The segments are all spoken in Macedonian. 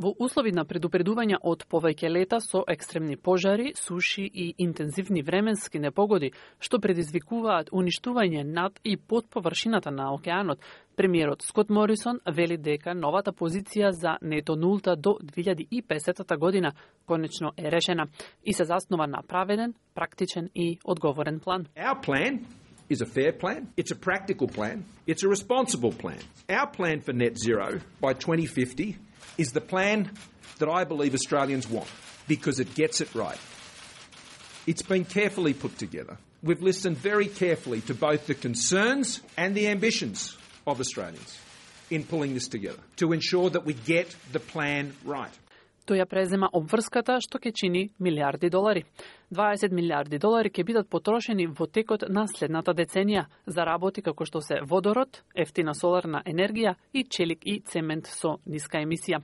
Во услови на предупредување од повеќе лета со екстремни пожари, суши и интензивни временски непогоди, што предизвикуваат уништување над и под површината на океанот, премиерот Скот Морисон вели дека новата позиција за нето нулта до 2050 година конечно е решена и се заснова на праведен, практичен и одговорен план. Our plan is a fair plan, it's a practical plan, it's a responsible plan. Our plan for net zero by 2050 is the plan that I believe Australians want because it gets it right. It's been carefully put together. We've listened very carefully to both the concerns and the ambitions of Australians in pulling this together to ensure that we get the plan right. Тој ја презема обврската што ќе чини милиарди долари. 20 милиарди долари ќе бидат потрошени во текот на следната деценија за работи како што се водород, ефтина соларна енергија и челик и цемент со ниска емисија.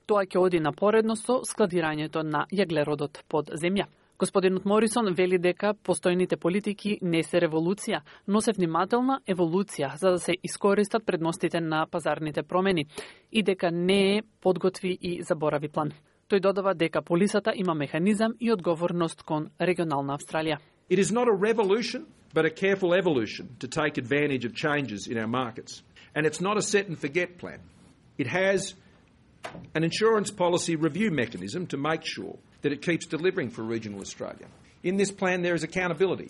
Тоа ќе оди напоредно со складирањето на јаглеродот под земја. Господинот Морисон вели дека постојните политики не се револуција, но се внимателна еволуција за да се искористат предностите на пазарните промени и дека не е подготви и заборави план. Тој додава дека полисата има механизам и одговорност кон регионална Австралија. It is not a revolution, but a careful evolution to take advantage of changes in our markets. And it's not a set and forget plan. It has an insurance policy review mechanism to make sure that it keeps delivering for regional Australia. In this plan there is accountability.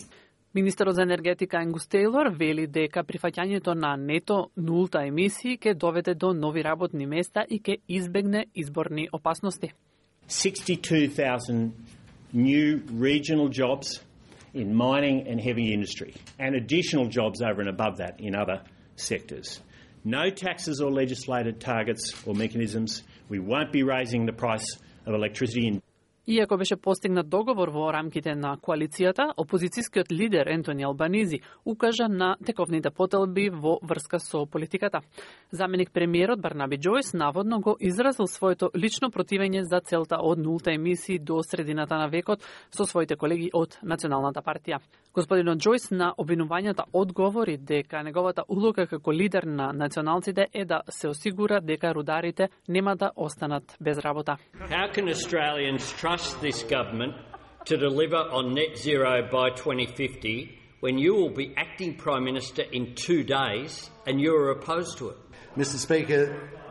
Министерот за енергетика Ангус Тейлор вели дека прифаќањето на нето нулта емисии ќе доведе до нови работни места и ќе избегне изборни опасности. 62,000 new regional jobs in mining and heavy industry and additional jobs over and above that in other sectors. No taxes or legislated targets or mechanisms. We won't be raising the price of electricity. Иако беше постигнат договор во рамките на коалицијата, опозицијскиот лидер Ентони Албанизи укажа на тековните потелби во врска со политиката. Заменик премиерот Барнаби Џојс наводно го изразил своето лично противење за целта од нулта емисии до средината на векот со своите колеги од Националната партија. Господинот Џојс на обвинувањата одговори дека неговата улога како лидер на националците е да се осигура дека рударите нема да останат без работа. How can Australians trust this government to deliver on net zero by 2050 when you will be acting Prime Minister in 2 days and you are opposed to it? Mr. Speaker,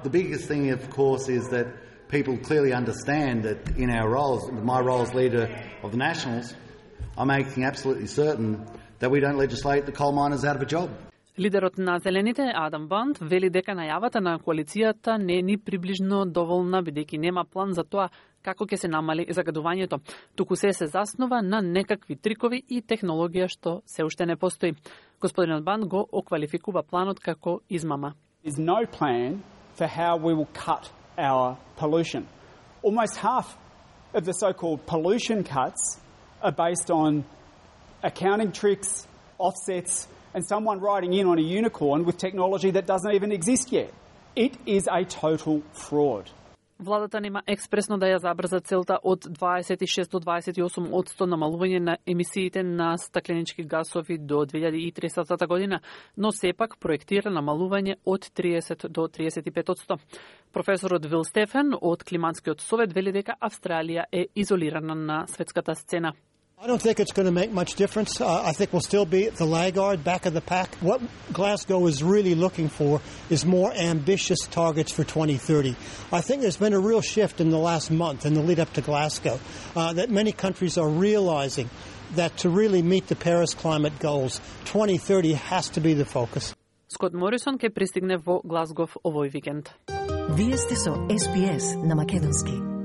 the biggest thing, of course, is that people clearly understand that in our roles, my role as leader of the Nationals, I'm making absolutely certain that we don't legislate the coal miners out of a job. Лидерот на Зелените, Адам Банд, вели дека најавата на коалицијата не е ни приближно доволна, бидејќи нема план за тоа како ќе се намали загадувањето. Туку се заснова на некакви трикови и технологија што се уште не постои. Господинот Банд го оквалификува планот како измама. There's no plan for how we will cut our pollution. Almost half of the so-called pollution cuts are based on accounting tricks, offsets, and someone riding in on a unicorn with technology that doesn't even exist yet. It is a total fraud. Владата нема експресно да ја забрза целта од 26 до 28% намалување на емисиите на стакленички гасови до 2030 година, но сепак проектира намалување од 30 до 35%. Професорот Вил Стефен од Климатскиот совет вели дека Австралија е изолирана на светската сцена. I don't think it's going to make much difference. I think we'll still be the laggard, back of the pack. What Glasgow is really looking for is more ambitious targets for 2030. I think there's been a real shift in the last month in the lead up to Glasgow, that many countries are realizing that to really meet the Paris climate goals, 2030 has to be the focus. Скот Морисон ќе пристигне во Глазгов овој викенд. Вие сте со SBS на македонски.